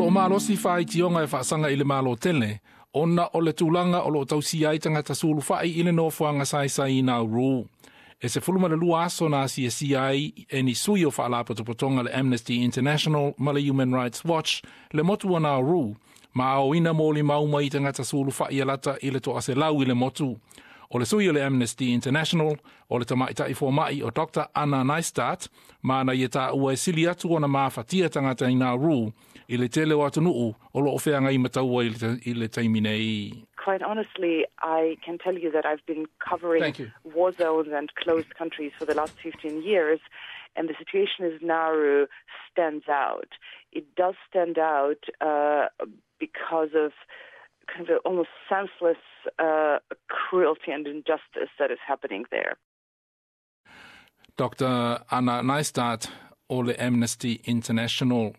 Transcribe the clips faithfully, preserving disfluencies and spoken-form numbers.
Lo o malosi faaitioga e faasaga i le Malo tele, ona o le tulaga o loo tausia ai tagata sulufai i le nofoaga saisai i Nauru. E sefulu ma le lua aso na asiasia ai e ni sui o faalapotopotoga le Amnesty International ma le Human Rights Watch le motu o Nauru, ma aoina molimau mai tagata sulufai e lata i le toaselau i le motu. O le sui o le Amnesty International, o le tamaitai fomaʻi o Doctor Anna Neistat, ma na ia taua e sili atu ona mafatia tagata i Nauru i le tele o atunuu o loo feagai ma taua i le taimi nei. Quite honestly, I can tell you that I've been covering war zones and closed countries for the last fifteen years, and the situation in Nauru stands out. It does stand out uh, because of kind of almost senseless uh, cruelty and injustice that is happening there. Doctor Anna Neistat o le Amnesty International.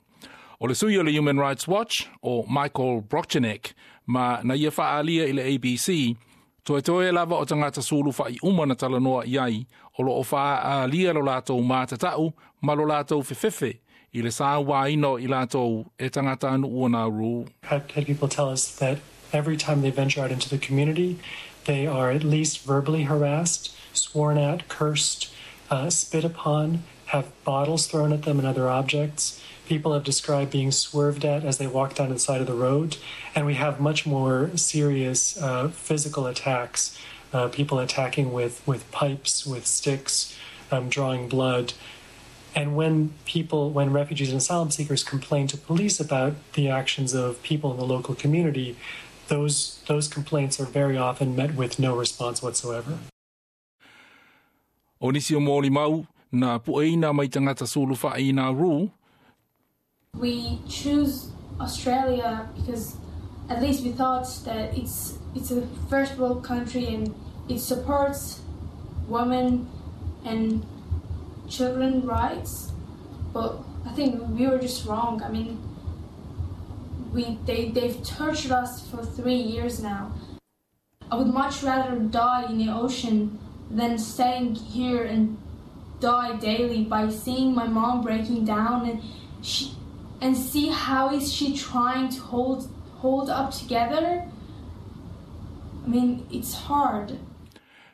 O le sui o le Human Rights Watch o Michael Brokchenek, ma na ia faaalia i le A B C, toetoe lava o tagata sulufai uma na talanoa i ai, o loo faaalia lo latou matatau ma lo latou fefefe i le sauaina o i latou e tagatanuu o Nauru. Had, had people tell us that every time they venture out into the community, they are at least verbally harassed, sworn at, cursed, uh, spit upon, have bottles thrown at them and other objects. People have described being swerved at as they walk down to the side of the road. And we have much more serious uh, physical attacks, uh, people attacking with, with pipes, with sticks, um, drawing blood. And when people, when refugees and asylum seekers complain to police about the actions of people in the local community, those, those complaints are very often met with no response whatsoever. O nisi o molimau na pueina mai tagata sulufai i Nauru. We choose Australia because at least we thought that it's it's a first world country and it supports women and children rights. But I think we were just wrong. I mean, we they they've tortured us for three years now. I would much rather die in the ocean than staying here and die daily by seeing my mom breaking down and she and see how is she trying to hold hold up together. I mean, it's hard.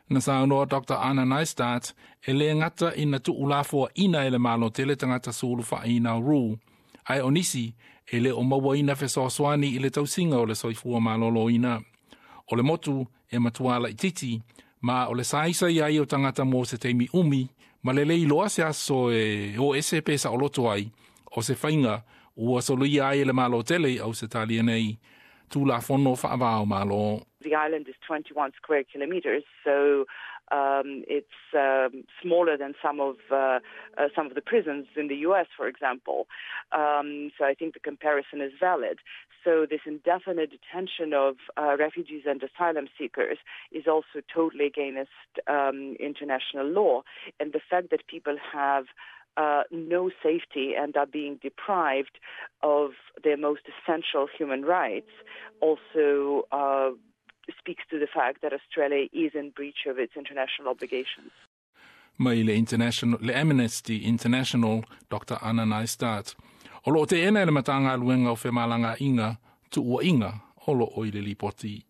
Na saunoa Doctor Anna Neistat e le gata ina tuulafoaina e le Malo tele tagata sulufai i Nauru, ae o nisi e le o mauaina fesoasoani i le tausiga o le soifua malōlōina. O le motu e matuā laititi, ma o le saisai ai o tagata mo se taimi umi, ma le le iloa se aso e o ese pe saoloto ai, o se faiga ua soloia ai e le Malo tele i Ausetalia nei Tulafono faava o Malo. The island is twenty-one square kilometers, so um, it's um, smaller than some of uh, uh, some of the prisons in the U S, for example. Um, so I think the comparison is valid. So this indefinite detention of uh, refugees and asylum seekers is also totally against um, international law, and the fact that people have uh, no safety and are being deprived of their most essential human rights also uh, speaks to the fact that Australia is in breach of its international obligations. Mai le, international, le Amnesty International, Doctor Anna Neistat. O loo teena e le Matagaluega o Femalagaaiga tuuaiga o loo i le lipoti.